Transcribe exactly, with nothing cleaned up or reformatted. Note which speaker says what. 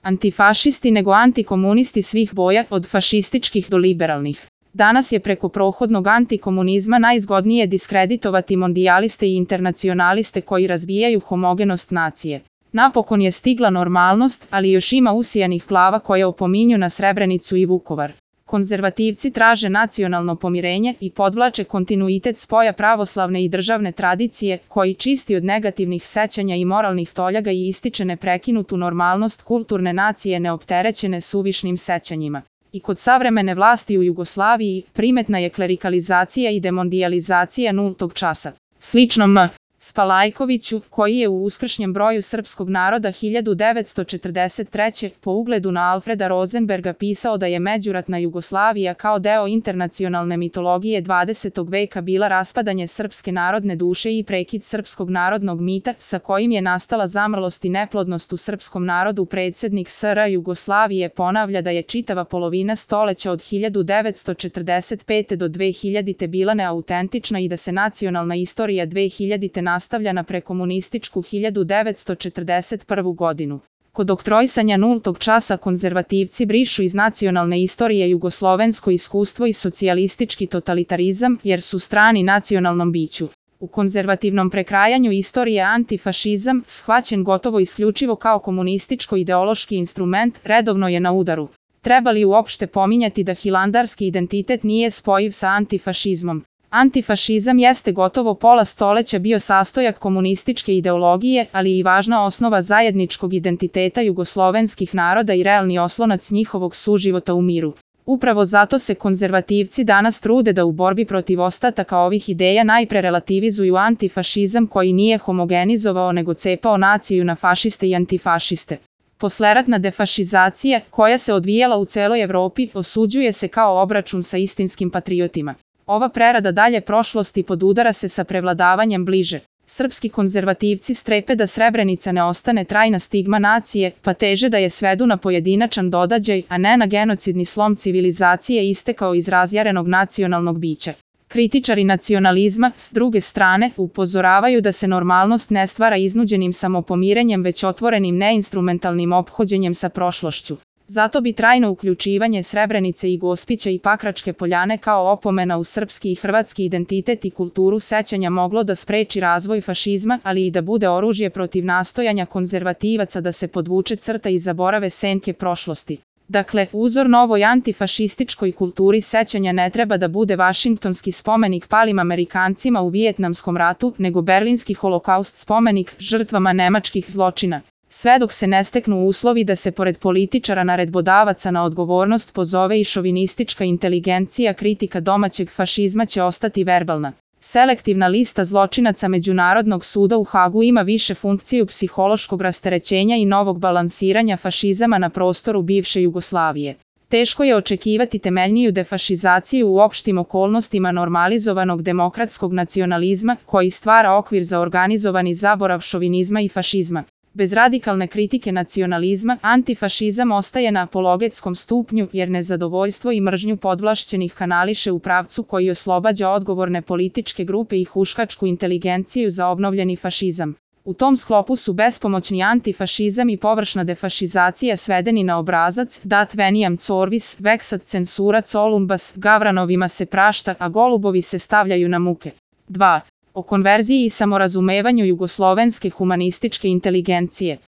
Speaker 1: antifašisti nego antikomunisti svih boja, od fašističkih do liberalnih. Danas je preko prohodnog antikomunizma najzgodnije diskreditovati mondijaliste i internacionaliste koji razbijaju homogenost nacije. Napokon je stigla normalnost, ali još ima usijanih glava koje opominju na Srebrenicu i Vukovar. Konzervativci traže nacionalno pomirenje i podvlače kontinuitet spoja pravoslavne i državne tradicije, koji čisti od negativnih sećanja i moralnih toljaga i ističe neprekinutu normalnost kulturne nacije neopterećene suvišnim sećanjima. I kod savremene vlasti u Jugoslaviji primetna je klerikalizacija i demondijalizacija nultog časa. Slično M. Spalajkoviću, koji je u uskršnjem broju srpskog naroda hiljadu devetsto četrdeset treće. po ugledu na Alfreda Rozenberga pisao da je međuratna Jugoslavija kao deo internacionalne mitologije dvadesetog veka bila raspadanje srpske narodne duše i prekid srpskog narodnog mita, sa kojim je nastala zamrlost i neplodnost u srpskom narodu. Predsjednik S R Jugoslavije ponavlja da je čitava polovina stoleća od hiljadu devetsto četrdeset pete. do dve hiljadite bila neautentična i da se nacionalna istorija dve hiljadite nastavlja na prekomunističku hiljadu devetsto četrdeset prvu. godinu. Kod oktroisanja nultog časa konzervativci brišu iz nacionalne istorije jugoslovensko iskustvo i socijalistički totalitarizam, jer su strani nacionalnom biću. U konzervativnom prekrajanju istorije antifašizam, shvaćen gotovo isključivo kao komunističko-ideološki instrument, redovno je na udaru. Treba li uopšte pominjati da hilandarski identitet nije spojiv sa antifašizmom? Antifašizam jeste gotovo pola stoleća bio sastojak komunističke ideologije, ali i važna osnova zajedničkog identiteta jugoslovenskih naroda i realni oslonac njihovog suživota u miru. Upravo zato se konzervativci danas trude da u borbi protiv ostataka ovih ideja najpre relativizuju antifašizam koji nije homogenizovao nego cepao naciju na fašiste i antifašiste. Posleratna defašizacija, koja se odvijala u celoj Evropi, osuđuje se kao obračun sa istinskim patriotima. Ova prerada dalje prošlosti podudara se sa prevladavanjem bliže. Srpski konzervativci strepe da Srebrenica ne ostane trajna stigma nacije, pa teže da je svedu na pojedinačan događaj, a ne na genocidni slom civilizacije istekao iz razjarenog nacionalnog bića. Kritičari nacionalizma, s druge strane, upozoravaju da se normalnost ne stvara iznuđenim samopomirenjem već otvorenim neinstrumentalnim ophođenjem sa prošlošću. Zato bi trajno uključivanje Srebrenice i Gospića i Pakračke poljane kao opomena u srpski i hrvatski identitet i kulturu sećanja moglo da spreči razvoj fašizma, ali i da bude oružje protiv nastojanja konzervativaca da se podvuče crta i zaborave senke prošlosti. Dakle, uzor novoj antifašističkoj kulturi sećanja ne treba da bude Vašingtonski spomenik palim Amerikancima u Vijetnamskom ratu, nego Berlinski holokaust spomenik žrtvama nemačkih zločina. Sve dok se ne steknu uslovi da se pored političara naredbodavaca na odgovornost pozove i šovinistička inteligencija, kritika domaćeg fašizma će ostati verbalna. Selektivna lista zločinaca Međunarodnog suda u Hagu ima više funkciju psihološkog rasterećenja i novog balansiranja fašizama na prostoru bivše Jugoslavije. Teško je očekivati temeljniju defašizaciju u opštim okolnostima normalizovanog demokratskog nacionalizma, koji stvara okvir za organizovani zaborav šovinizma i fašizma. Bez radikalne kritike nacionalizma, antifašizam ostaje na apologetskom stupnju, jer nezadovoljstvo i mržnju podvlašćenih kanališe u pravcu koji oslobađa odgovorne političke grupe i huškačku inteligenciju za obnovljeni fašizam. U tom sklopu su bespomoćni antifašizam i površna defašizacija svedeni na obrazac, dat veniam corvis, vexat censura columbas, gavranovima se prašta, a golubovi se stavljaju na muke. dva. O konverziji i samorazumevanju jugoslovenske humanističke inteligencije.